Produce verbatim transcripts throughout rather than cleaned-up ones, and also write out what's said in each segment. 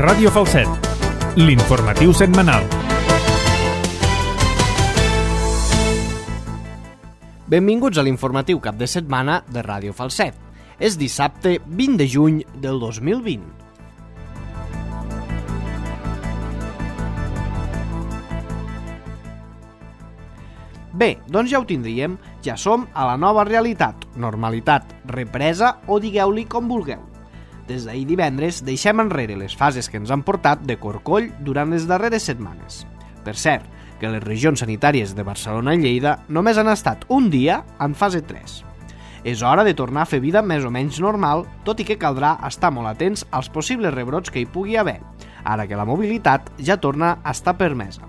Ràdio Falset, l'informatiu setmanal. Benvinguts a l'informatiu cap de setmana de Ràdio Falset. És dissabte vint de juny del dos mil vint. Bé, doncs ja ho tindríem, ja som a la nova realitat, normalitat, represa o digueu-li com vulgueu. Des d'ahir divendres deixem enrere les fases que ens han portat de corcoll durant les darreres setmanes. Per cert, que les regions sanitàries de Barcelona i Lleida només han estat un dia en fase tres. És hora de tornar a fer vida més o menys normal, tot i que caldrà estar molt atents als possibles rebrots que hi pugui haver, ara que la mobilitat ja torna a estar permesa.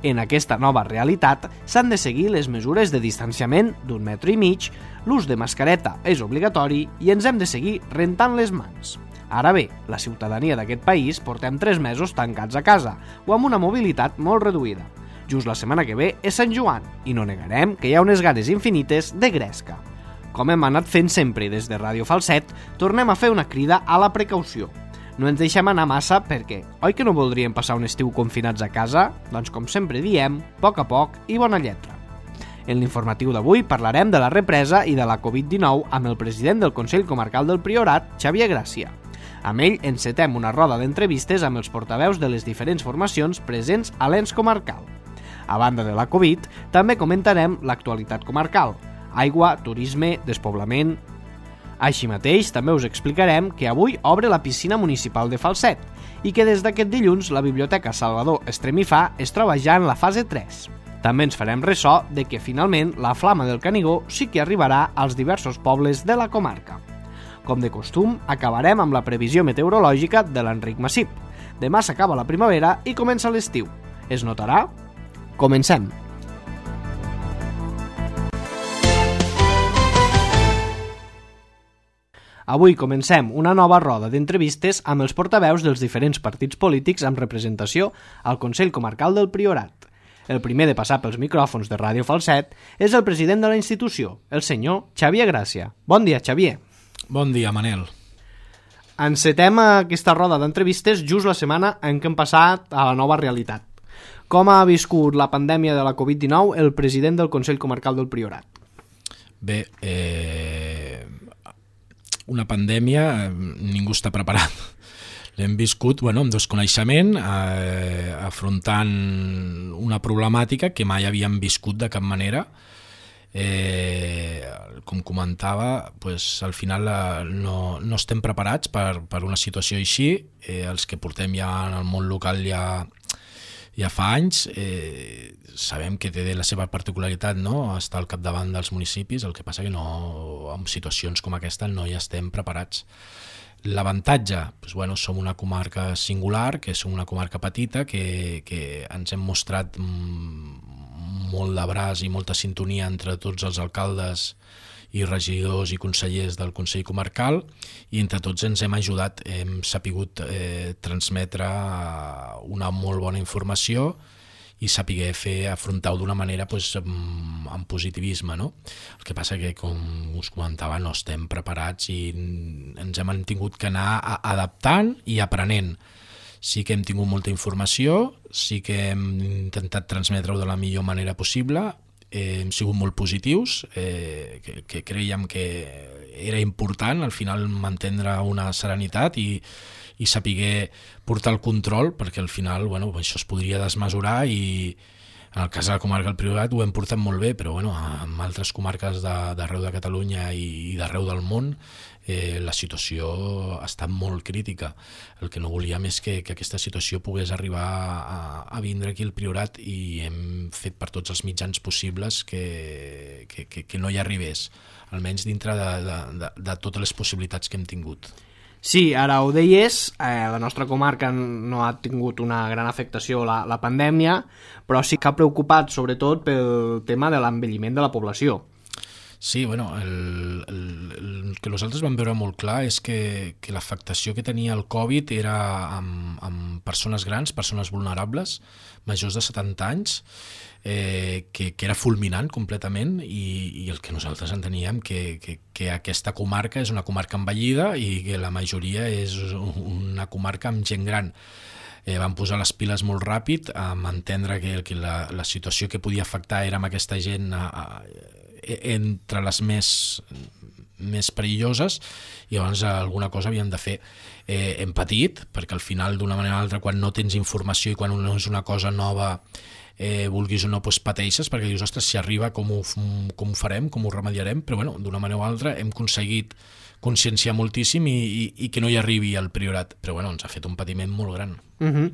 En aquesta nova realitat s'han de seguir les mesures de distanciament d'un metre i mig, l'ús de mascareta és obligatori i ens hem de seguir rentant les mans. Ara bé, la ciutadania d'aquest país portem tres mesos tancats a casa o amb una mobilitat molt reduïda. Just la setmana que ve és Sant Joan i no negarem que hi ha unes ganes infinites de gresca. Com hem anat fent sempre des de Ràdio Falset, tornem a fer una crida a la precaució. No ens deixem anar massa perquè, oi que no voldríem passar un estiu confinats a casa? Doncs com sempre diem, a poc a poc i bona lletra. En l'informatiu d'avui parlarem de la represa i de la covid dinou amb el president del Consell Comarcal del Priorat, Xavier Gràcia. Amb ell encetem una roda d'entrevistes amb els portaveus de les diferents formacions presents a l'ens comarcal. A banda de la Covid, també comentarem l'actualitat comarcal, aigua, turisme, despoblament. Així mateix, també us explicarem que avui obre la piscina municipal de Falset i que des d'aquest dilluns la Biblioteca Salvador Estremifà es troba ja en la fase tres. També ens farem ressò de que finalment la flama del Canigó sí que arribarà als diversos pobles de la comarca. Com de costum, acabarem amb la previsió meteorològica de l'Enric Massip. Demà s'acaba la primavera i comença l'estiu. Es notarà? Comencem! Avui comencem una nova roda d'entrevistes amb els portaveus dels diferents partits polítics amb representació al Consell Comarcal del Priorat. El primer de passar pels micròfons de Ràdio Falset és el president de la institució, el senyor Xavier Gràcia. Bon dia, Xavier. Bon dia, Manel. Encetem aquesta roda d'entrevistes just la setmana en què hem passat a la nova realitat. Com ha viscut la pandèmia de la covid dinou el president del Consell Comarcal del Priorat? Bé, eh... una pandèmia, ningú està preparat. L'hem viscut bueno, amb desconeixement, eh, afrontant una problemàtica que mai havíem viscut de cap manera. Eh, com comentava, pues, al final eh, no, no estem preparats per, per una situació així. Eh, els que portem ja en el món local ja, ja fa anys, eh, sabem que té la seva particularitat, no? Estar al capdavant dels municipis, el que passa que no, en situacions com aquesta no hi estem preparats. L'avantatge, doncs, bueno, som una comarca singular, que som una comarca petita, que, que ens hem mostrat molt de braç i molta sintonia entre tots els alcaldes i regidors i consellers del Consell Comarcal, i entre tots ens hem ajudat, hem sapigut eh, transmetre una molt bona informació i saber fer, afrontar-ho d'una manera pues, amb, amb positivisme, no? El que passa que, com us comentava, no estem preparats i ens hem tingut que anar adaptant i aprenent. Sí que hem tingut molta informació, sí que hem intentat transmetre-ho de la millor manera possible, eh, hem sigut molt positius, eh, que, que creiem que era important al final mantenir una serenitat i i saber portar el control, perquè al final bueno, això es podria desmesurar i en el cas de la comarca del Priorat ho hem portat molt bé, però bueno, en altres comarques d'arreu de, de Catalunya i, i d'arreu del món eh, la situació ha estat molt crítica. El que no volíem és que, que aquesta situació pogués arribar a, a vindre aquí al Priorat i hem fet per tots els mitjans possibles que, que, que, que no hi arribés, almenys dintre de, de, de, de totes les possibilitats que hem tingut. Sí, ara ho deies, eh, la nostra comarca no ha tingut una gran afectació la, la pandèmia, però sí que ha preocupat sobretot pel tema de l'envelliment de la població. Sí, bueno, el, el, el que nosaltres vam veure molt clar és que, que l'afectació que tenia el Covid era amb, amb persones grans, persones vulnerables, majors de setanta anys, eh, que, que era fulminant completament i, i el que nosaltres enteníem que, que, que aquesta comarca és una comarca envellida i que la majoria és una comarca amb gent gran. Eh, van posar les piles molt ràpid a entendre que, que la, la situació que podia afectar era amb aquesta gent a, a, entre les més, més perilloses i llavors alguna cosa havien de fer. Eh, hem patit, perquè al final d'una manera o altra quan no tens informació i quan no és una cosa nova eh, vulguis o no doncs pateixes perquè dius, ostres, si arriba com ho, com ho farem, com ho remediarem, però bueno, d'una manera o altra hem aconseguit conscienciar moltíssim i, i, i que no hi arribi al Priorat, però bueno, ens ha fet un patiment molt gran. Uh-huh.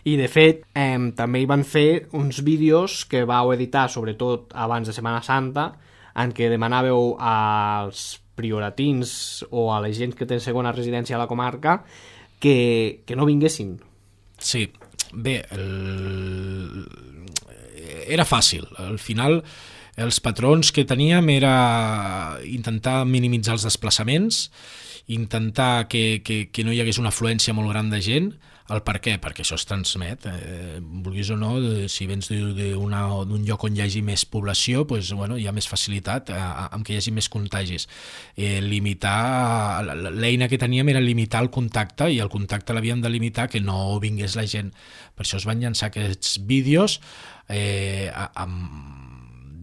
I de fet eh, també hi van fer uns vídeos que vau editar sobretot abans de Setmana Santa en què demanàveu als prioratins o a la gent que té segona residència a la comarca que, que no vinguessin. Sí, bé, el... era fàcil, al final els patrons que teníem era intentar minimitzar els desplaçaments, intentar que, que, que no hi hagués una afluència molt gran de gent. El per què? Perquè això es transmet. Eh, vulguis o no, si vens d'un lloc on hi hagi més població, doncs, bueno, hi ha més facilitat eh, amb que hi hagi més contagis. Eh, limitar, l'eina que teníem era limitar el contacte i el contacte l'havíem de limitar que no vingués la gent. Per això es van llançar aquests vídeos eh, amb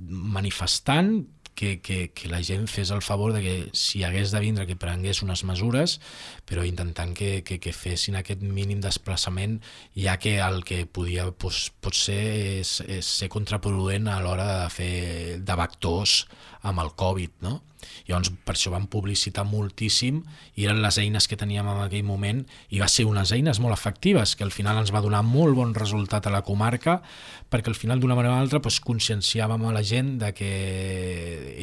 manifestant que, que, que la gent fes el favor de que si hagués de vindre que prengués unes mesures, però intentant que, que, que fessin aquest mínim desplaçament, ja que el que podia pues, pot ser és, és ser contraproduent a l'hora de fer de vectors amb el Covid, no? Llavors per això vam publicitar moltíssim i eren les eines que teníem en aquell moment i va ser unes eines molt efectives que al final ens va donar molt bon resultat a la comarca perquè al final d'una manera o altra doncs, conscienciàvem a la gent de que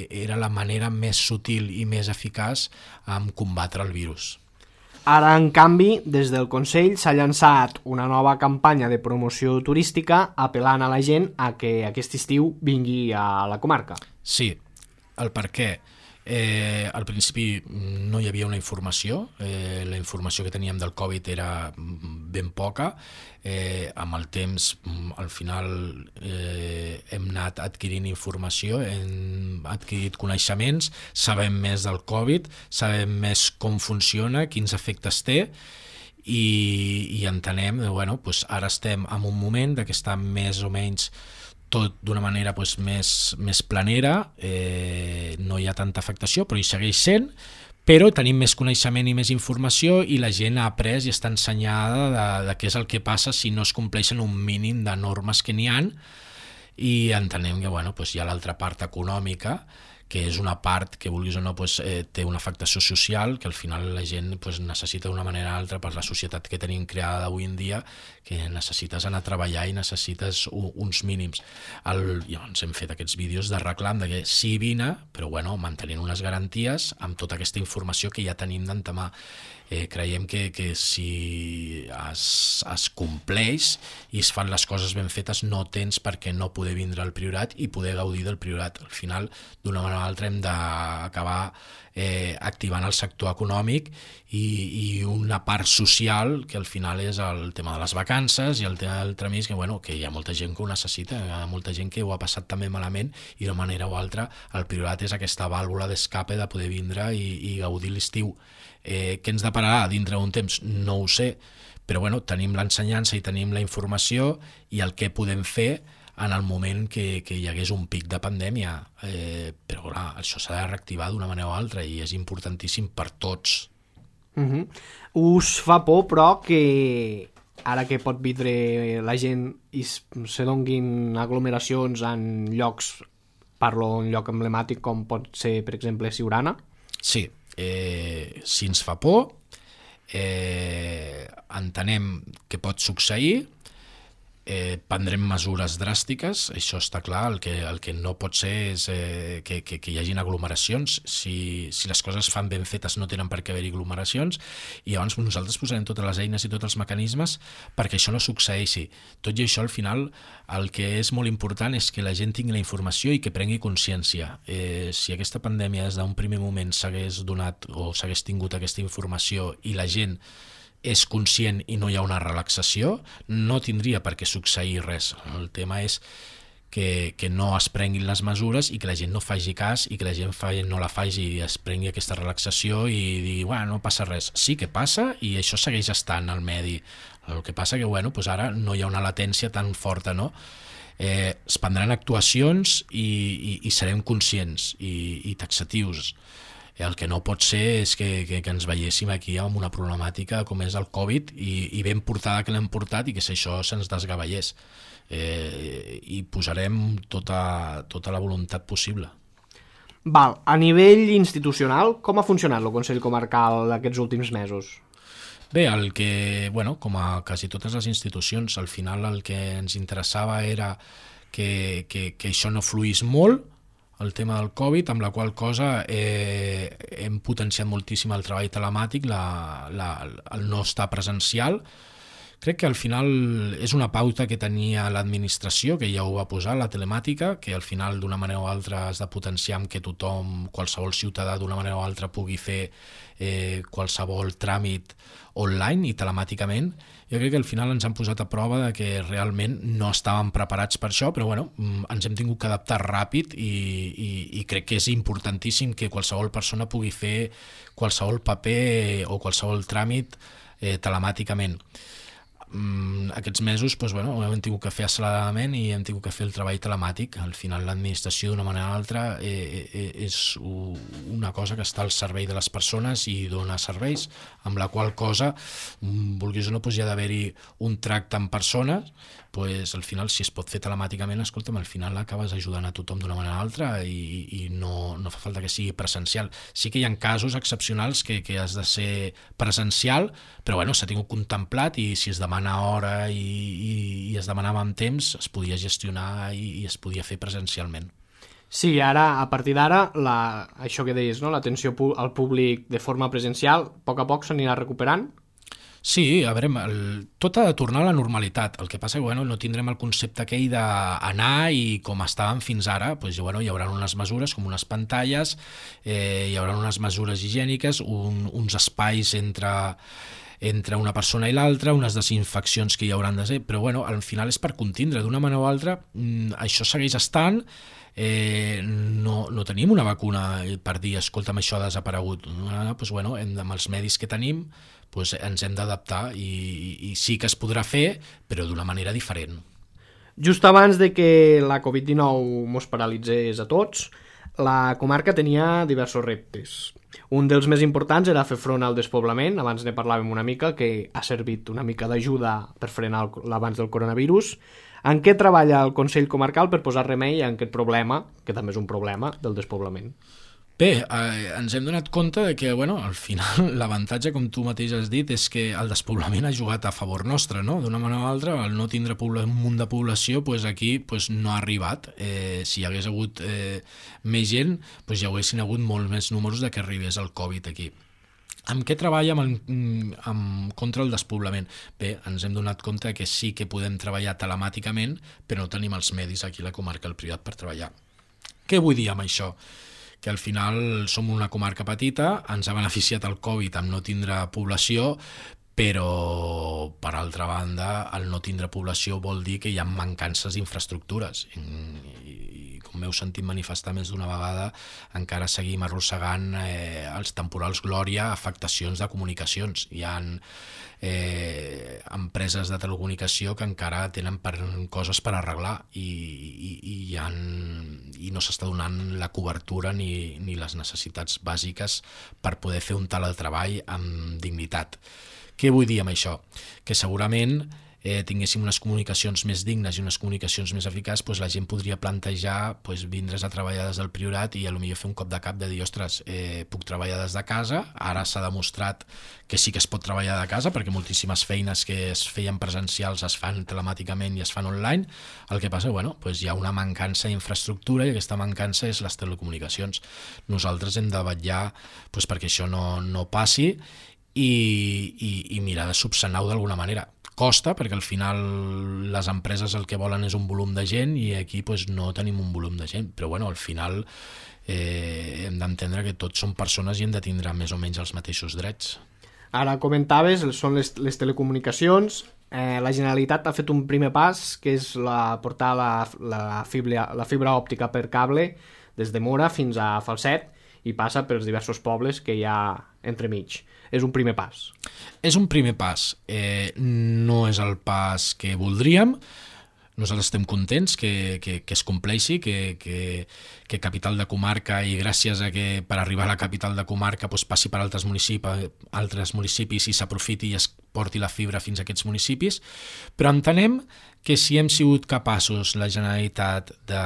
era la manera més sutil i més eficaç en combatre el virus. Ara, en canvi, des del Consell s'ha llançat una nova campanya de promoció turística apel·lant a la gent a que aquest estiu vingui a la comarca. Sí, el per què? Eh, al principi no hi havia una informació, eh, la informació que teníem del Covid era ben poca, eh, amb el temps al final eh, hem anat adquirint informació, hem adquirit coneixements, sabem més del Covid, sabem més com funciona, quins efectes té i, i entenem, bueno, doncs ara estem en un moment que està més o menys tot d'una manera pues, més, més planera, eh, no hi ha tanta afectació, però hi segueix sent, però tenim més coneixement i més informació i la gent ha après i està ensenyada de, de què és el que passa si no es compleixen un mínim de normes que n'hi ha i entenem que bueno, pues, hi ha l'altra part econòmica, que és una part que vulguis o no pues, eh, té una afectació social que al final la gent pues, necessita d'una manera o altra per la societat que tenim creada avui en dia que necessites anar a treballar i necessites u, uns mínims. El, llavors hem fet aquests vídeos de reclam de que sí vine, però bueno, mantenint unes garanties amb tota aquesta informació que ja tenim d'entamar. Eh, creiem que, que si es, es compleix i es fan les coses ben fetes no tens per què no poder vindre al Priorat i poder gaudir del Priorat. Al final, d'una manera o altra, hem d'acabar eh, activant el sector econòmic i, i una part social que al final és el tema de les vacances i el tema del tramís, que, bueno, que hi ha molta gent que ho necessita, hi ha molta gent que ho ha passat també malament i d'una manera o altra el Priorat és aquesta vàlvula d'escape de poder vindre i, i gaudir l'estiu. Eh, què ens depararà dintre d'un temps? No ho sé, però bueno, tenim l'ensenyança i tenim la informació i el que podem fer en el moment que, que hi hagués un pic de pandèmia. Eh, però clar, això s'ha de reactivar d'una manera o altra i és importantíssim per tots. Uh-huh. Us fa por, però, que ara que pot vindre la gent i se donguin aglomeracions en llocs, parlo en lloc emblemàtic com pot ser, per exemple, Siurana? Sí. Eh, si ens fa por, eh, entenem que pot succeir, eh, prendrem mesures dràstiques, això està clar, el que, el que no pot ser és eh, que, que, que hi hagin aglomeracions, si, si les coses fan ben fetes no tenen per què haver-hi aglomeracions, i llavors nosaltres posarem totes les eines i tots els mecanismes perquè això no succeeixi. Tot i això, al final, el que és molt important és que la gent tingui la informació i que prengui consciència. Eh, si aquesta pandèmia des d'un primer moment s'hagués donat o s'hagués tingut aquesta informació i la gent és conscient i no hi ha una relaxació, no tindria per què succeir res. El tema és que, que no es prenguin les mesures i que la gent no faci cas i que la gent fa, no la faci i es prengui aquesta relaxació i digui, bueno, no passa res. Sí que passa i això segueix estant al medi. El que passa que, bueno, doncs ara no hi ha una latència tan forta, no? Eh, es prendran actuacions i, i, i serem conscients i, i taxatius. El que no pot ser és que, que, que ens veiéssim aquí amb una problemàtica com és el Covid i, i ben portada que l'hem portat i que si això se'ns desgavellés. Eh, I posarem tota, tota la voluntat possible. Val, a nivell institucional, com ha funcionat el Consell Comarcal aquests últims mesos? Bé, el que, bueno, com a quasi totes les institucions, al final el que ens interessava era que, que, que això no fluís molt, el tema del Covid, amb la qual cosa eh, hem potenciat moltíssim el treball telemàtic, la, la, el no estar presencial. Crec que al final és una pauta que tenia l'administració, que ja ho va posar, la telemàtica, que al final d'una manera o altra has de potenciar amb que tothom, qualsevol ciutadà d'una manera o altra pugui fer eh, qualsevol tràmit online i telemàticament. Jo crec que al final ens han posat a prova de que realment no estàvem preparats per això, però bueno, ens hem tingut que adaptar ràpid i, i, i crec que és importantíssim que qualsevol persona pugui fer qualsevol paper o qualsevol tràmit eh, telemàticament. Aquests mesos doncs, bueno, hem tingut que fer acceleradament i hem tingut que fer el treball telemàtic. Al final l'administració d'una manera o altra eh, eh, és una cosa que està al servei de les persones i dona serveis, amb la qual cosa, vulguis o no, doncs hi ha d'haver-hi un tracte amb persones, doncs al final si es pot fer telemàticament, escolta'm, al final acabes ajudant a tothom d'una manera o altra i, i no, no fa falta que sigui presencial. Sí que hi ha casos excepcionals que, que has de ser presencial, però bueno, s'ha tingut contemplat i si es demana hora i, i, i es demanava amb temps, es podia gestionar i, i es podia fer presencialment. Sí, ara, a partir d'ara, la, això que deies, no? L'atenció al públic de forma presencial, a poc a poc s'anirà recuperant? Sí, a veure, el, tot ha de tornar a la normalitat. El que passa que bueno, no tindrem el concepte aquell d'anar i com estàvem fins ara, doncs, bueno, hi haurà unes mesures com unes pantalles, eh, hi haurà unes mesures higièniques, un, uns espais entre, entre una persona i l'altra, unes desinfeccions que hi hauran de ser, però bueno, al final és per contindre, d'una manera o altra, això segueix estant. Eh, no, no tenim una vacuna per dir, escolta'm, això ha desaparegut. Doncs, bueno, hem, amb els medis que tenim doncs ens hem d'adaptar i, i sí que es podrà fer, però d'una manera diferent. Just abans de que la covid dinou mos paralitzés a tots, la comarca tenia diversos reptes. Un dels més importants era fer front al despoblament, abans ne parlàvem una mica, que ha servit una mica d'ajuda per frenar l'avanç del coronavirus. En què treballa el Consell Comarcal per posar remei a aquest problema, que també és un problema, del despoblament? Bé, eh, ens hem donat compte de que, bueno, al final l'avantatge, com tu mateix has dit, és que el despoblament ha jugat a favor nostre, no? D'una manera o altra, al no tindre un munt de població, doncs aquí doncs no ha arribat. Eh, si hi hagués hagut eh, més gent, doncs hi haguessin hagut molt més números de que arribés el Covid aquí. Amb què treballa amb el, amb, contra el despoblament? Bé, ens hem donat compte que sí que podem treballar telemàticament, però no tenim els medis aquí a la comarca del Priorat per treballar. Què vull dir amb això? Que al final som una comarca petita, ens ha beneficiat el Covid amb no tindre població, però per altra banda el no tindre població vol dir que hi ha mancances d'infraestructures i, i com m'heu sentit manifestar més d'una vegada, encara seguim arrossegant eh, els temporals Glòria, afectacions de comunicacions. Hi ha eh, empreses de telecomunicació que encara tenen per, coses per arreglar i, i, i, hi ha, i no s'està donant la cobertura ni, ni les necessitats bàsiques per poder fer un teletreball amb dignitat. Què vull dir amb això? Que segurament eh, tinguéssim unes comunicacions més dignes i unes comunicacions més eficaces, doncs la gent podria plantejar doncs, vindre's a treballar des del Priorat i potser fer un cop de cap de dir, ostres, eh, puc treballar des de casa. Ara s'ha demostrat que sí que es pot treballar de casa, perquè moltíssimes feines que es feien presencials es fan telemàticament i es fan online. El que passa, bueno, doncs hi ha una mancança d'infraestructura i aquesta mancança és les telecomunicacions. Nosaltres hem de vetllar doncs, perquè això no, no passi i, i, i mirar de subsanar-ho d'alguna manera. Costa, perquè al final les empreses el que volen és un volum de gent i aquí doncs, no tenim un volum de gent, però bueno, al final eh, hem d'entendre que tots som persones i hem de tindre més o menys els mateixos drets. Ara comentaves, són les, les telecomunicacions. Eh, la Generalitat ha fet un primer pas, que és la, portar la, la, fibra, la fibra òptica per cable des de Mora fins a Falset i passa pels diversos pobles que hi ha entremig. És un primer pas. És un primer pas. Eh, no és el pas que voldríem. Nosaltres estem contents que, que, que es compleixi, que, que, que capital de comarca i gràcies a que per arribar a la capital de comarca doncs passi per altres municipis, altres municipis i s'aprofiti i es porti la fibra fins a aquests municipis, però entenem que si hem sigut capaços, la Generalitat, de,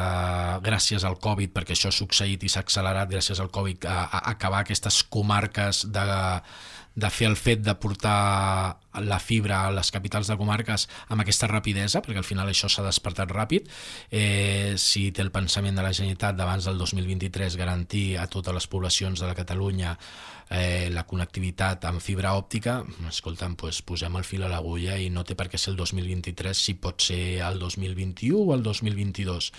gràcies al Covid, perquè això ha succeït i s'ha accelerat gràcies al Covid, a, a acabar aquestes comarques de... de fer el fet de portar la fibra a les capitals de comarques amb aquesta rapidesa, perquè al final això s'ha despertat ràpid. Eh, si té el pensament de la Generalitat d'abans del dos mil vint-i-tres garantir a totes les poblacions de la Catalunya eh, la connectivitat amb fibra òptica, escolta'm, doncs posem el fil a l'agulla i no té per què ser el dos mil vint-i-tres, si pot ser el dos mil vint-i-u o el dos mil vint-i-dos.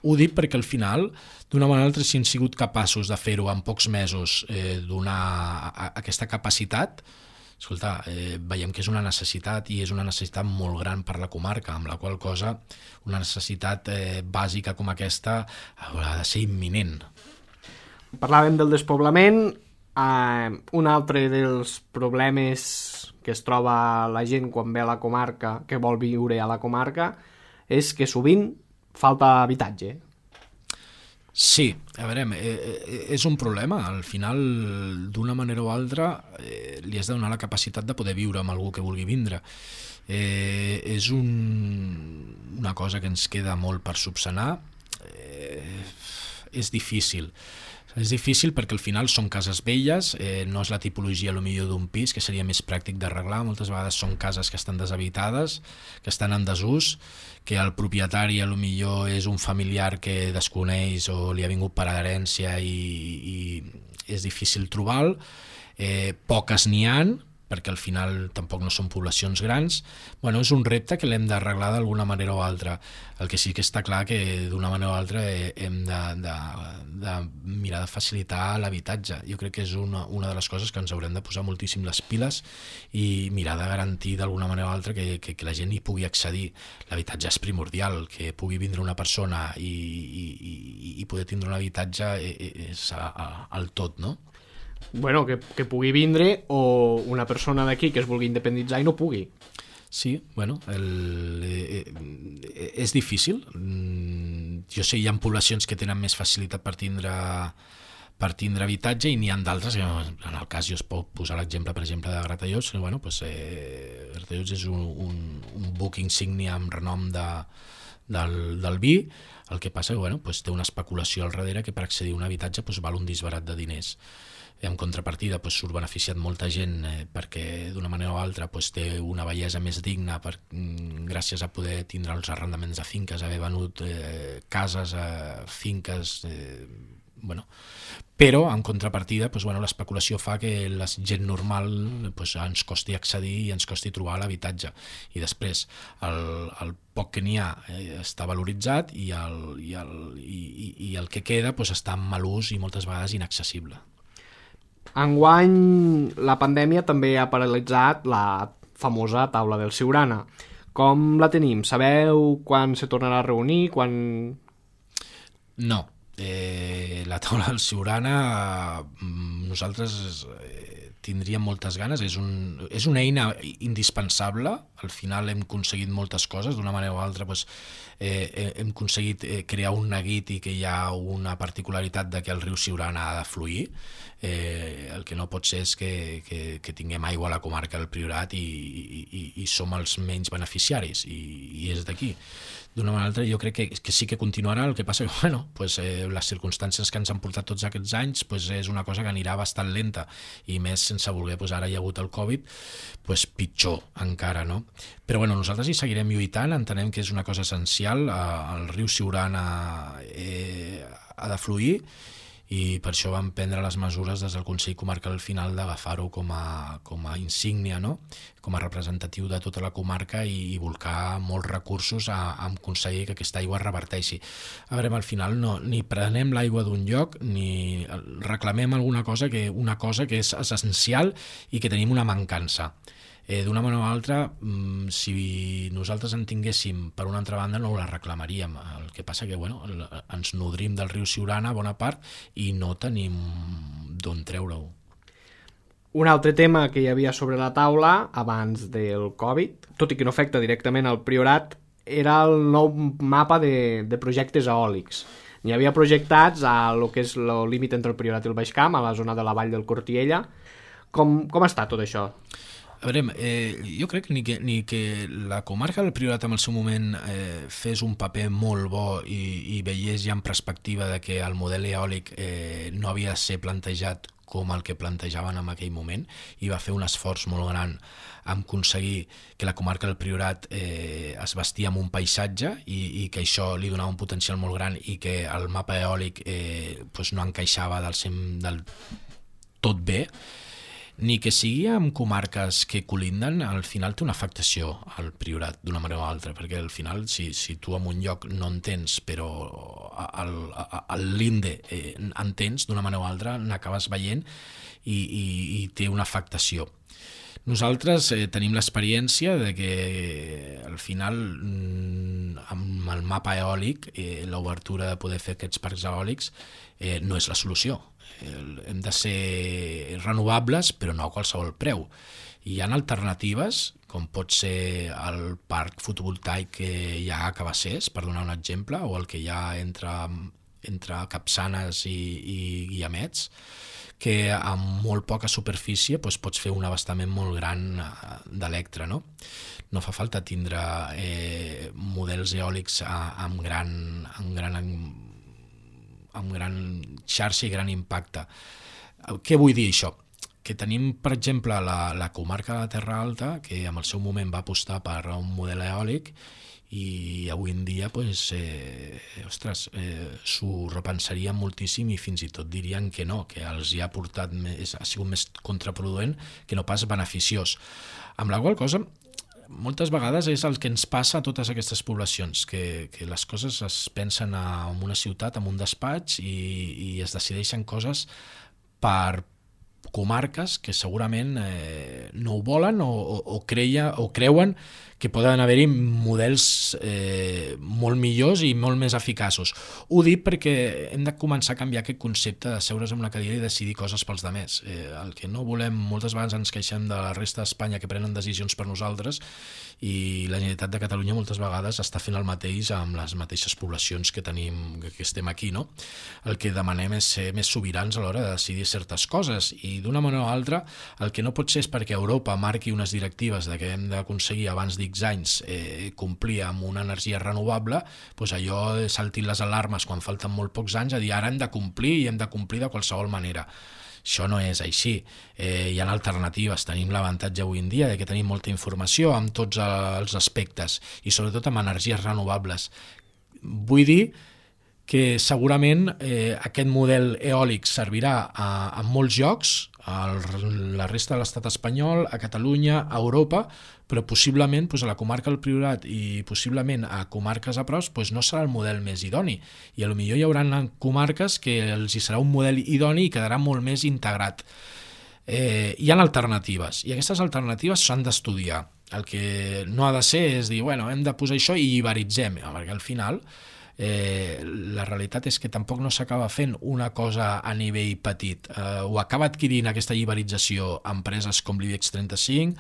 Ho dic perquè al final, d'una manera o altra, si hem sigut capaços de fer-ho en pocs mesos, eh, donar a, a, aquesta capacitat, escolta, eh, veiem que és una necessitat i és una necessitat molt gran per la comarca, amb la qual cosa una necessitat eh, bàsica com aquesta haurà de ser imminent. Parlàvem del despoblament. Eh, un altre dels problemes que es troba la gent quan ve a la comarca, que vol viure a la comarca, és que sovint falta habitatge. Sí, a veure, eh, és un problema. Al final, d'una manera o altra, eh, li has de donar la capacitat de poder viure amb algú que vulgui vindre. Eh, és un, una cosa que ens queda molt per subsanar. Eh, és difícil. És difícil perquè al final són cases velles, eh, no és la tipologia a lo millor d'un pis, que seria més pràctic d'arreglar. Moltes vegades són cases que estan deshabitades, que estan en desús, que el propietari a lo millor és un familiar que desconeix o li ha vingut per herència i, i és difícil trobar-lo. Eh, poques n'hi han, perquè al final tampoc no són poblacions grans. Bueno, és un repte que l'hem d'arreglar d'alguna manera o altra. El que sí que està clar que d'una manera o altra hem de, de, de mirar de facilitar l'habitatge. Jo crec que és una, una de les coses que ens haurem de posar moltíssim les piles i mirar de garantir d'alguna manera o altra que, que, que la gent hi pugui accedir. L'habitatge és primordial, que pugui vindre una persona i, i, i, i poder tindre un habitatge és el tot, no? Bueno, que, que pugui vindre o una persona d'aquí que es vulgui independitzar i no pugui. Sí, bueno, el, eh, eh, és difícil. Jo sé, hi ha poblacions que tenen més facilitat per tindre, per tindre habitatge i n'hi ha d'altres, en el cas jo es pot posar l'exemple, per exemple, de Gratallops, que bueno, pues, eh, Gratallops és un, un, un buc insígnia amb renom de, del, del vi. El que passa que bueno, pues, té una especulació al darrere que per accedir a un habitatge pues, val un disbarat de diners. I en contrapartida pues, surt beneficiat molta gent eh, perquè d'una manera o altra pues, té una bellesa més digna per, gràcies a poder tindre els arrendaments de finques, haver venut eh, cases, eh, finques, eh, bueno. Però en contrapartida pues, bueno, l'especulació fa que la gent normal pues, ens costi accedir i ens costi trobar l'habitatge i després el, el poc que n'hi ha eh, està valoritzat i el, i, el, i, i el que queda pues, està en mal ús i moltes vegades inaccessible. Enguany la pandèmia també ha paralitzat la famosa taula del Siurana. Com la tenim? Sabeu quan se tornarà a reunir? Quan... No. Eh, la taula del Siurana nosaltres eh, tindríem moltes ganes, és, un, és una eina indispensable, al final hem aconseguit moltes coses, d'una manera o altra doncs, eh, hem aconseguit eh, crear un neguit i que hi ha una particularitat de que el riu Siurana ha de fluir, eh, el que no pot ser és que, que, que tinguem aigua a la comarca del Priorat i, i, i, i som els menys beneficiaris, i, i és d'aquí. D'una manera o altra, jo crec que, que sí que continuarà, el que passa que bueno, pues, eh, les circumstàncies que ens han portat tots aquests anys pues, és una cosa que anirà bastant lenta, i més sense voler, pues, ara hi ha hagut el Covid, pues, pitjor encara, no? Però bueno, nosaltres hi seguirem lluitant, entenem que és una cosa essencial, eh, el riu Siurana eh, ha de fluir, i per això vam prendre les mesures des del Consell Comarcal al final d'agafar-ho com a, com a insígnia, no? Com a representatiu de tota la comarca i, i volcar molts recursos a, a aconseguir que aquesta aigua reverteixi. A veure, al final no, ni prenem l'aigua d'un lloc ni reclamem alguna cosa que, una cosa que és essencial i que tenim una mancança. Eh, d'una manera o altra, si nosaltres en tinguéssim per una altra banda no la reclamaríem, el que passa que bueno, ens nodrim del riu Siurana bona part i no tenim d'on treure-ho. Un altre tema que hi havia sobre la taula abans del Covid, tot i que no afecta directament al Priorat, era el nou mapa de, de projectes eòlics. N'hi havia projectats a lo que és el límit entre el Priorat i el Baix Camp, a la zona de la vall del Cortiella. Com, com està tot això? A veure, eh, jo crec ni que, ni que la comarca del Priorat en el seu moment eh, fes un paper molt bo i, i veiés ja en perspectiva de que el model eòlic eh, no havia de ser plantejat com el que plantejaven en aquell moment, i va fer un esforç molt gran en aconseguir que la comarca del Priorat eh, es vestia amb un paisatge i, i que això li donava un potencial molt gran i que el mapa eòlic eh, pues no encaixava del, del tot bé, ni que sigui en comarques que colinden, al final té una afectació al Priorat d'una manera o altra, perquè al final si, si tu en un lloc no en tens però al, al l'Inde eh, en tens, d'una manera o altra n'acabes veient i, i, i té una afectació. Nosaltres eh, tenim l'experiència de que al final amb el mapa eòlic eh, l'obertura de poder fer aquests parcs eòlics eh, no és la solució. Hem de ser renovables però no a qualsevol preu. Hi ha alternatives com pot ser el parc fotovoltaic que hi ha a Cabassers, per donar un exemple, o el que hi ha entre, entre Capçanes i, i Guiamets, que amb molt poca superfície doncs, pots fer un abastament molt gran d'electre, no? No fa falta tindre eh, models eòlics amb gran, amb gran amb gran xarxa i gran impacte. Què vull dir això? Que tenim, per exemple, la, la comarca de la Terra Alta, que en el seu moment va apostar per un model eòlic i avui en dia pues, eh, ostres, eh, s'ho repensarien moltíssim i fins i tot dirien que no, que els hi ha portat més, ha sigut més contraproduent que no pas beneficiós. Amb la qual cosa, moltes vegades és el que ens passa a totes aquestes poblacions, que, que les coses es pensen en una ciutat, en un despatx, i, i es decideixen coses per comarques que segurament eh, no ho volen o, o, o, creia, o creuen que poden haver-hi models eh, molt millors i molt més eficaços. Ho dic perquè hem de començar a canviar aquest concepte de seure's en una cadira i decidir coses pels demés. Eh, el que no volem, moltes vegades ens queixem de la resta d'Espanya que prenen decisions per nosaltres, i la Generalitat de Catalunya moltes vegades està fent el mateix amb les mateixes poblacions que tenim, que estem aquí, no? El que demanem és ser més sobirans a l'hora de decidir certes coses, i d'una manera o altra el que no pot ser és perquè Europa marqui unes directives de que hem d'aconseguir abans d'X anys eh, complir amb una energia renovable, doncs allò saltin les alarmes quan falten molt pocs anys a dir ara hem de complir i hem de complir de qualsevol manera. Això no és així. Eh, hi ha alternatives, tenim l'avantatge avui en dia de que tenim molta informació amb tots els aspectes i sobretot amb energies renovables. Vull dir que segurament eh, aquest model eòlic servirà a, a molts llocs, a la resta de l'estat espanyol, a Catalunya, a Europa, però possiblement doncs, a la comarca del Priorat i possiblement a comarques a prop doncs, no serà el model més idoni, i potser hi haurà comarques que els hi serà un model idoni i quedarà molt més integrat. Eh, hi ha alternatives, i aquestes alternatives s'han d'estudiar. El que no ha de ser és dir, bueno, hem de posar això i iberitzem, perquè al final Eh, la realitat és que tampoc no s'acaba fent una cosa a nivell petit. Eh, ho acaba adquirint aquesta iberització empreses com l'IBEX trenta-cinc,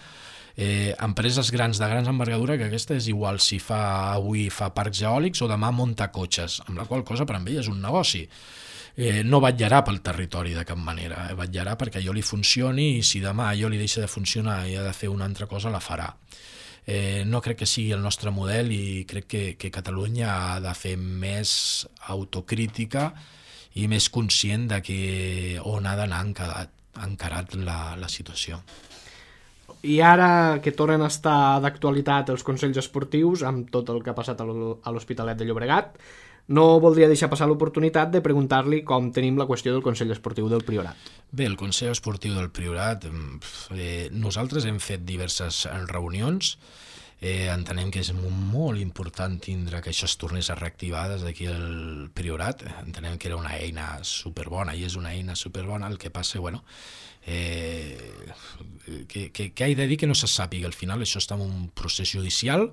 eh, empreses grans de grans envergadura, que aquesta és igual si fa avui fa parcs eòlics o demà munta cotxes, amb la qual cosa per a ell és un negoci. Eh, no vetllarà pel territori de cap manera, eh, vetllarà perquè allò li funcioni, i si demà allò li deixa de funcionar i ha de fer una altra cosa, la farà. Eh, no crec que sigui el nostre model, i crec que, que Catalunya ha de fer més autocrítica i més conscient de que on ha d'anar encarat, encarat la, la situació. I ara que tornen a estar d'actualitat els consells esportius amb tot el que ha passat a l'Hospitalet de Llobregat, no voldria deixar passar l'oportunitat de preguntar-li com tenim la qüestió del Consell Esportiu del Priorat. Bé, el Consell Esportiu del Priorat, eh, nosaltres hem fet diverses reunions, eh, entenem que és molt important tindre que això es tornés a reactivar des d'aquí al Priorat, entenem que era una eina superbona i és una eina superbona, el que passa, bueno, eh, que, que, que he de dir que no se sàpiga, al final això està en un procés judicial,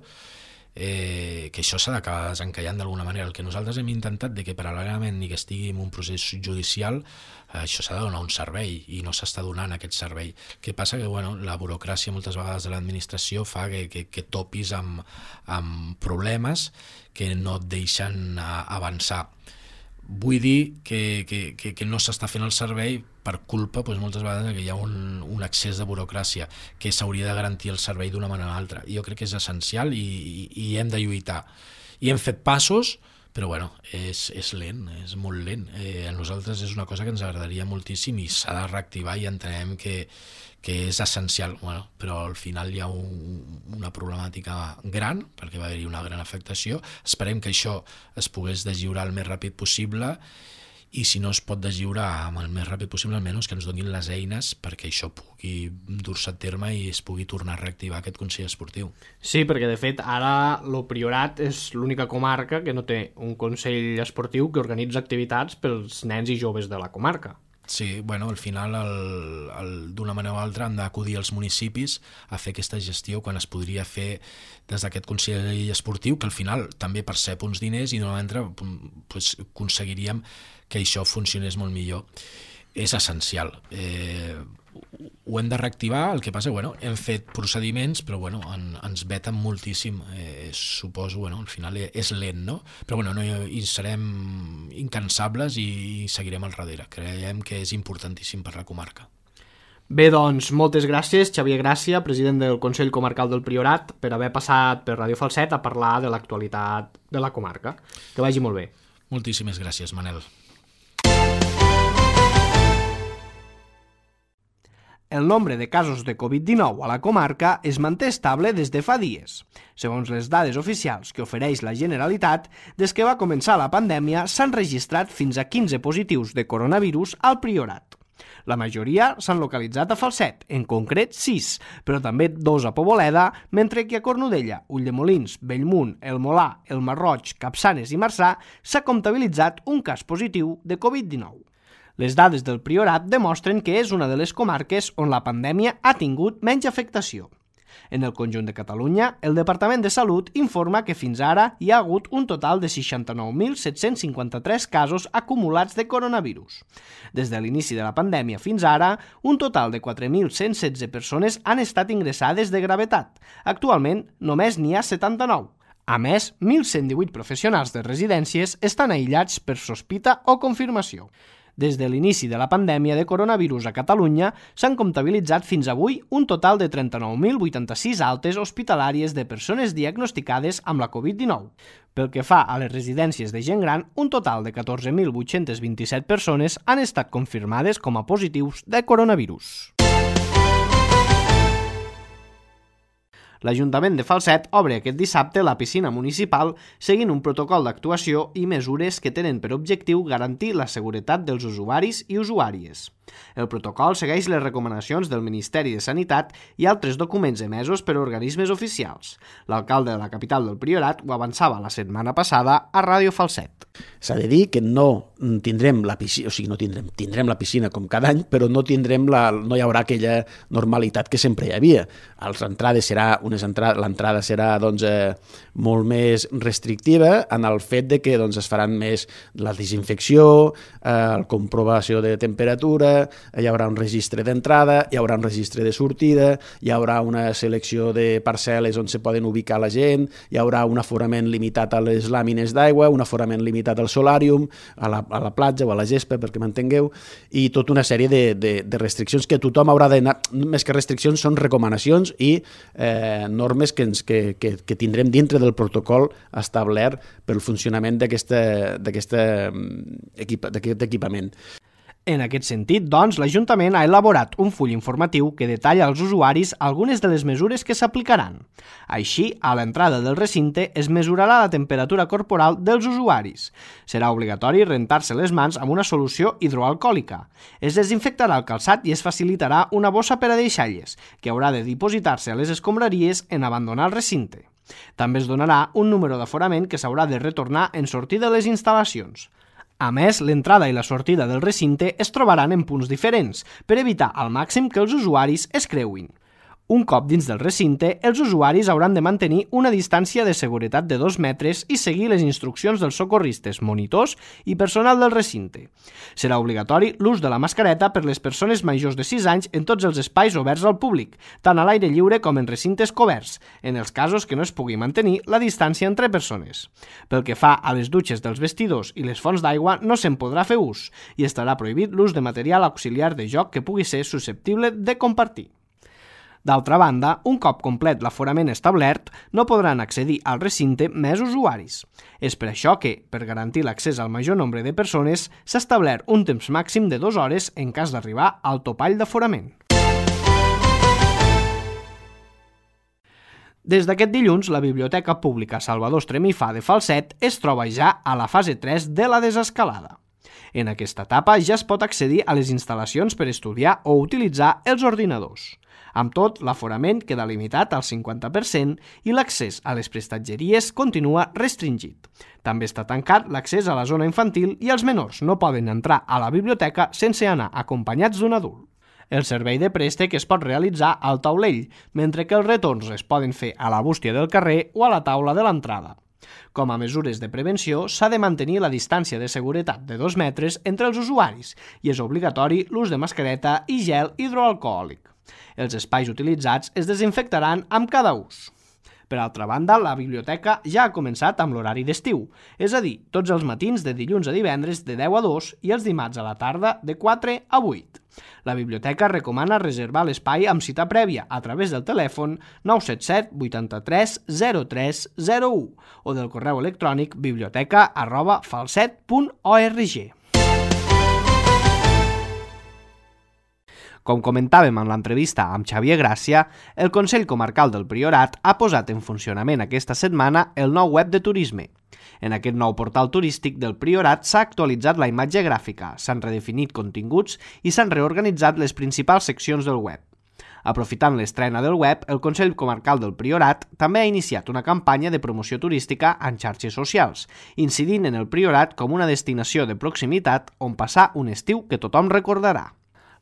Eh, que això s'ha d'acabar desencallant d'alguna manera. El que nosaltres hem intentat de que paral·lelament ni que estigui en un procés judicial, eh, això s'ha de donar un servei i no s'està donant aquest servei. El que passa que bueno, la burocràcia moltes vegades de l'administració fa que, que, que topis amb, amb problemes que no et deixen avançar. Vull dir que, que, que, que no s'està fent el servei per culpa doncs, moltes vegades que hi ha un, un excés de burocràcia, que s'hauria de garantir el servei d'una manera o altra. Jo crec que és essencial i, i, i hem de lluitar. I hem fet passos, però bueno, és, és lent, és molt lent. Eh, a nosaltres és una cosa que ens agradaria moltíssim i s'ha de reactivar i entenem que, que és essencial, bueno, però al final hi ha un, una problemàtica gran, perquè va haver-hi una gran afectació. Esperem que això es pogués deslliurar el més ràpid possible, i si no es pot deslliurar amb el més ràpid possible, almenys que ens donin les eines perquè això pugui dur-se a terme i es pugui tornar a reactivar aquest Consell Esportiu. Sí, perquè de fet ara el Priorat és l'única comarca que no té un Consell Esportiu que organitza activitats pels nens i joves de la comarca. Sí, bueno, al final d'una manera o altra han d'acudir als municipis a fer aquesta gestió quan es podria fer des d'aquest Consell Esportiu, que al final també percep uns diners i d'una manera pues, aconseguiríem que això funcionés molt millor. És essencial. Eh, ho hem de reactivar, el que passa, bueno, hem fet procediments, però bueno, en, ens veten moltíssim. Eh, suposo, bueno, al final és lent, no? Però bueno, no, hi serem incansables i seguirem al darrere. Creiem que és importantíssim per la comarca. Bé, doncs, moltes gràcies, Xavier Gràcia, president del Consell Comarcal del Priorat, per haver passat per Ràdio Falset a parlar de l'actualitat de la comarca. Que vagi molt bé. Moltíssimes gràcies, Manel. El nombre de casos de covid dinou a la comarca es manté estable des de fa dies. Segons les dades oficials que ofereix la Generalitat, des que va començar la pandèmia s'han registrat fins a quinze positius de coronavirus al Priorat. La majoria s'han localitzat a Falset, en concret sis, però també dos a Poboleda, mentre que a Cornudella, Ulldemolins, Bellmunt, El Molar, El Masroig, Capçanes i Marçà s'ha comptabilitzat un cas positiu de covid dinou. Les dades del Priorat demostren que és una de les comarques on la pandèmia ha tingut menys afectació. En el conjunt de Catalunya, el Departament de Salut informa que fins ara hi ha hagut un total de seixanta-nou mil set-cents cinquanta-tres casos acumulats de coronavirus. Des de l'inici de la pandèmia fins ara, un total de quatre mil cent setze persones han estat ingressades de gravetat. Actualment, només n'hi ha setanta-nou. A més, mil cent divuit professionals de residències estan aïllats per sospita o confirmació. Des de l'inici de la pandèmia de coronavirus a Catalunya s'han comptabilitzat fins avui un total de trenta-nou mil vuitanta-sis altes hospitalàries de persones diagnosticades amb la covid dinou. Pel que fa a les residències de gent gran, un total de catorze mil vuit-cents vint-i-set persones han estat confirmades com a positius de coronavirus. L'Ajuntament de Falset obre aquest dissabte la piscina municipal seguint un protocol d'actuació i mesures que tenen per objectiu garantir la seguretat dels usuaris i usuàries. El protocol segueix les recomanacions del Ministeri de Sanitat i altres documents emesos per organismes oficials. L'alcalde de la capital del Priorat ho avançava la setmana passada a Ràdio Falset. S'ha de dir que no tindrem la piscina, o sigui, no tindrem, tindrem la piscina com cada any, però no tindrem la, no hi haurà aquella normalitat que sempre hi havia. A les entrades serà una unes entra l'entrada serà doncs, eh, molt més restrictiva en el fet de que doncs, es faran més la desinfecció, eh, la comprovació de temperatura, hi haurà un registre d'entrada, hi haurà un registre de sortida, hi haurà una selecció de parcel·les on se poden ubicar la gent, hi haurà un aforament limitat a les làmines d'aigua, un aforament limitat al solàrium, a la, a la platja o a la gespa, perquè m'entengueu, i tota una sèrie de, de, de restriccions que tothom haurà d'anar, més que restriccions són recomanacions i eh, normes que, ens, que, que, que tindrem dintre del protocol establert pel funcionament d'aquest equip, equipament. En aquest sentit, doncs, l'Ajuntament ha elaborat un full informatiu que detalla als usuaris algunes de les mesures que s'aplicaran. Així, a l'entrada del recinte es mesurarà la temperatura corporal dels usuaris. Serà obligatori rentar-se les mans amb una solució hidroalcohòlica. Es desinfectarà el calçat i es facilitarà una bossa per a deixalles, que haurà de dipositar-se a les escombraries en abandonar el recinte. També es donarà un número d'aforament que s'haurà de retornar en sortir de les instal·lacions. A més, l'entrada i la sortida del recinte es trobaran en punts diferents per evitar al màxim que els usuaris es creuin. Un cop dins del recinte, els usuaris hauran de mantenir una distància de seguretat de dos metres i seguir les instruccions dels socorristes, monitors i personal del recinte. Serà obligatori l'ús de la mascareta per les persones majors de sis anys en tots els espais oberts al públic, tant a l'aire lliure com en recintes coberts, en els casos que no es pugui mantenir la distància entre persones. Pel que fa a les dutxes dels vestidors i les fonts d'aigua, no se'n podrà fer ús i estarà prohibit l'ús de material auxiliar de joc que pugui ser susceptible de compartir. D'altra banda, un cop complet l'aforament establert, no podran accedir al recinte més usuaris. És per això que, per garantir l'accés al major nombre de persones, s'ha establert un temps màxim de dues hores en cas d'arribar al topall d'aforament. Des d'aquest dilluns, la Biblioteca Pública Salvador Estremifà de Falset es troba ja a la fase tres de la desescalada. En aquesta etapa ja es pot accedir a les instal·lacions per estudiar o utilitzar els ordinadors. Amb tot, l'aforament queda limitat al cinquanta per cent i l'accés a les prestatgeries continua restringit. També està tancat l'accés a la zona infantil i els menors no poden entrar a la biblioteca sense anar acompanyats d'un adult. El servei de préstec es pot realitzar al taulell, mentre que els retorns es poden fer a la bústia del carrer o a la taula de l'entrada. Com a mesures de prevenció, s'ha de mantenir la distància de seguretat de dos metres entre els usuaris i és obligatori l'ús de mascareta i gel hidroalcohòlic. Els espais utilitzats es desinfectaran amb cada ús. Per altra banda, la biblioteca ja ha començat amb l'horari d'estiu, és a dir, tots els matins de dilluns a divendres de deu a dos i els dimarts a la tarda de quatre a vuit. La biblioteca recomana reservar l'espai amb cita prèvia a través del telèfon nou set set vuitanta-tres zero tres zero u o del correu electrònic biblioteca arroba falset punt org. Com comentàvem en l'entrevista amb Xavier Gràcia, el Consell Comarcal del Priorat ha posat en funcionament aquesta setmana el nou web de turisme. En aquest nou portal turístic del Priorat s'ha actualitzat la imatge gràfica, s'han redefinit continguts i s'han reorganitzat les principals seccions del web. Aprofitant l'estrena del web, el Consell Comarcal del Priorat també ha iniciat una campanya de promoció turística en xarxes socials, incidint en el Priorat com una destinació de proximitat on passar un estiu que tothom recordarà.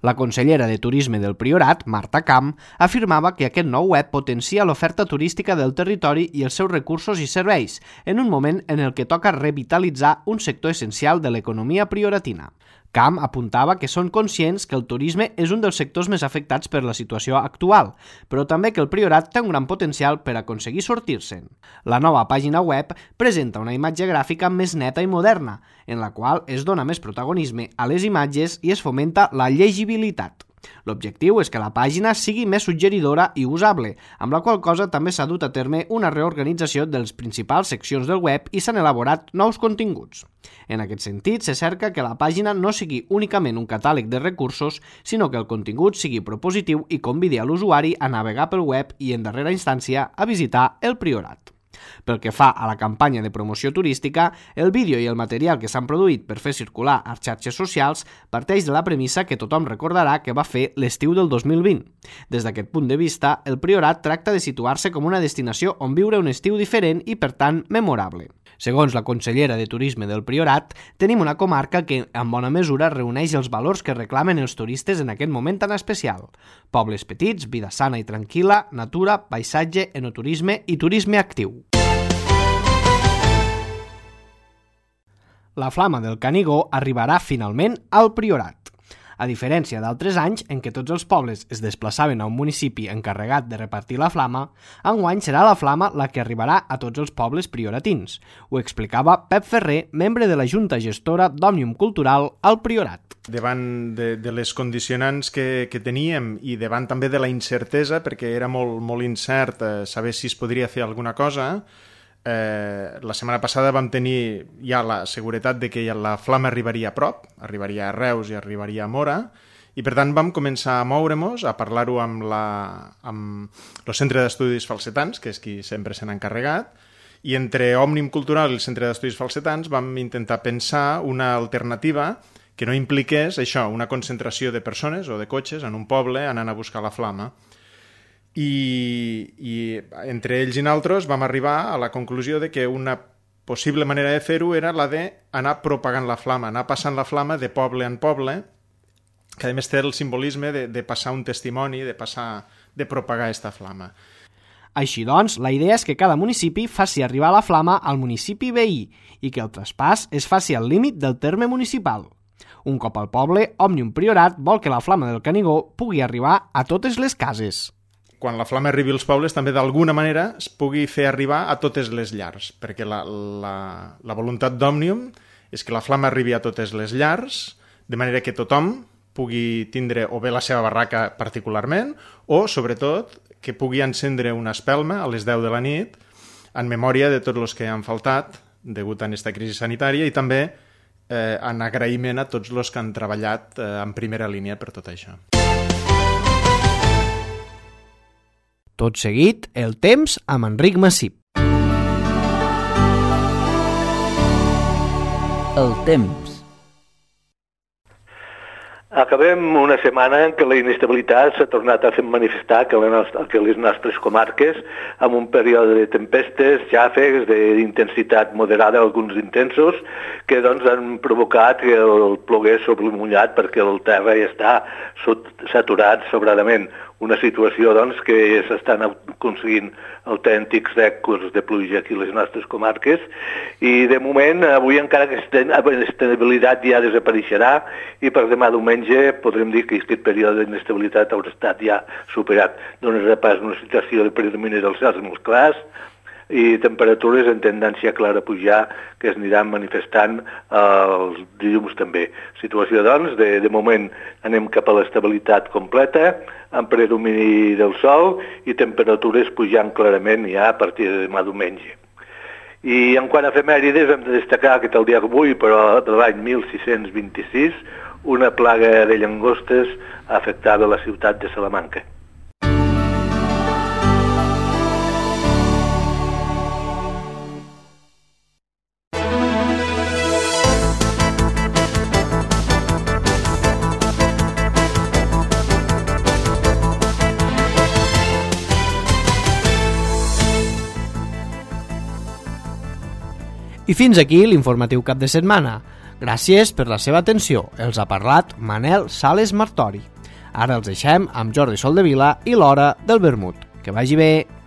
La consellera de Turisme del Priorat, Marta Camp, afirmava que aquest nou web potencia l'oferta turística del territori i els seus recursos i serveis, en un moment en el que toca revitalitzar un sector essencial de l'economia prioratina. Camp apuntava que són conscients que el turisme és un dels sectors més afectats per la situació actual, però també que el Priorat té un gran potencial per aconseguir sortir-se'n. La nova pàgina web presenta una imatge gràfica més neta i moderna, en la qual es dona més protagonisme a les imatges i es fomenta la llegibilitat. L'objectiu és que la pàgina sigui més suggeridora i usable, amb la qual cosa també s'ha dut a terme una reorganització de les principals seccions del web i s'han elaborat nous continguts. En aquest sentit, se cerca que la pàgina no sigui únicament un catàleg de recursos, sinó que el contingut sigui propositiu i convidi a l'usuari a navegar pel web i, en darrera instància, a visitar el Priorat. Pel que fa a la campanya de promoció turística, el vídeo i el material que s'han produït per fer circular a xarxes socials parteix de la premissa que tothom recordarà que va fer l'estiu del dos mil vint. Des d'aquest punt de vista, el Priorat tracta de situar-se com una destinació on viure un estiu diferent i, per tant, memorable. Segons la consellera de Turisme del Priorat, tenim una comarca que, en bona mesura, reuneix els valors que reclamen els turistes en aquest moment tan especial. Pobles petits, vida sana i tranquil·la, natura, paisatge, enoturisme i turisme actiu. La Flama del Canigó arribarà finalment al Priorat. A diferència d'altres anys en què tots els pobles es desplaçaven a un municipi encarregat de repartir la flama, enguany serà la flama la que arribarà a tots els pobles prioratins. Ho explicava Pep Ferrer, membre de la Junta Gestora d'Òmnium Cultural al Priorat. Davant de, de les condicionants que, que teníem i davant també de la incertesa, perquè era molt, molt incert eh, saber si es podria fer alguna cosa, Eh, la setmana passada vam tenir ja la seguretat de que la flama arribaria a prop, arribaria a Reus i arribaria a Mora, i per tant vam començar a moure-nos, a parlar-ho amb, la, amb el Centre d'Estudis Falsetans, que és qui sempre se n'ha encarregat, i entre Òmnium Cultural i el Centre d'Estudis Falsetans vam intentar pensar una alternativa que no impliqués això, una concentració de persones o de cotxes en un poble anant a buscar la flama. I, i entre ells i nosaltres vam arribar a la conclusió de que una possible manera de fer-ho era la d'anar propagant la flama, anar passant la flama de poble en poble, que a més té el simbolisme de, de passar un testimoni, de passar, de propagar aquesta flama. Així doncs, la idea és que cada municipi faci arribar la flama al municipi veí i que el traspàs es faci al límit del terme municipal. Un cop al poble, Òmnium Priorat vol que la flama del Canigó pugui arribar a totes les cases. Quan la flama arribi als pobles, també d'alguna manera es pugui fer arribar a totes les llars, perquè la, la, la voluntat d'Òmnium és que la flama arribi a totes les llars, de manera que tothom pugui tindre o bé la seva barraca particularment, o, sobretot, que pugui encendre una espelma a les deu de la nit en memòria de tots els que han faltat degut a aquesta crisi sanitària i també eh, en agraïment a tots els que han treballat eh, en primera línia per tot això. Tot seguit, el temps amb Enric Massip. El temps. Acabem una setmana en què la inestabilitat s'ha tornat a fer manifestar que les nostres comarques, amb un període de tempestes, xàfecs, d'intensitat moderada, alguns intensos, que doncs, han provocat que el plogués sobre el mullat perquè el terra ja està saturat sobradament. Una situació doncs, que s'estan aconseguint autèntics rècords de pluja aquí a les nostres comarques i de moment avui encara aquesta inestabilitat ja desapareixerà i per demà diumenge podrem dir que aquest període d'inestabilitat haurà estat ja superat. Donarà pas una situació de predomini dels cels molt clars i temperatures en tendència clara a pujar que es aniran manifestant els dilluns també. Situació, doncs, de, de moment anem cap a l'estabilitat completa, amb predomini del sol i temperatures pujant clarament ja a partir de demà diumenge. I en quant a efemèrides hem de destacar que el dia d'avui, però de l'any mil sis-cents vint-i-sis, una plaga de llangostes afectava la ciutat de Salamanca. I fins aquí l'informatiu cap de setmana. Gràcies per la seva atenció. Els ha parlat Manel Sales Martori. Ara els deixem amb Jordi Soldevila i l'Hora del Vermut. Que vagi bé!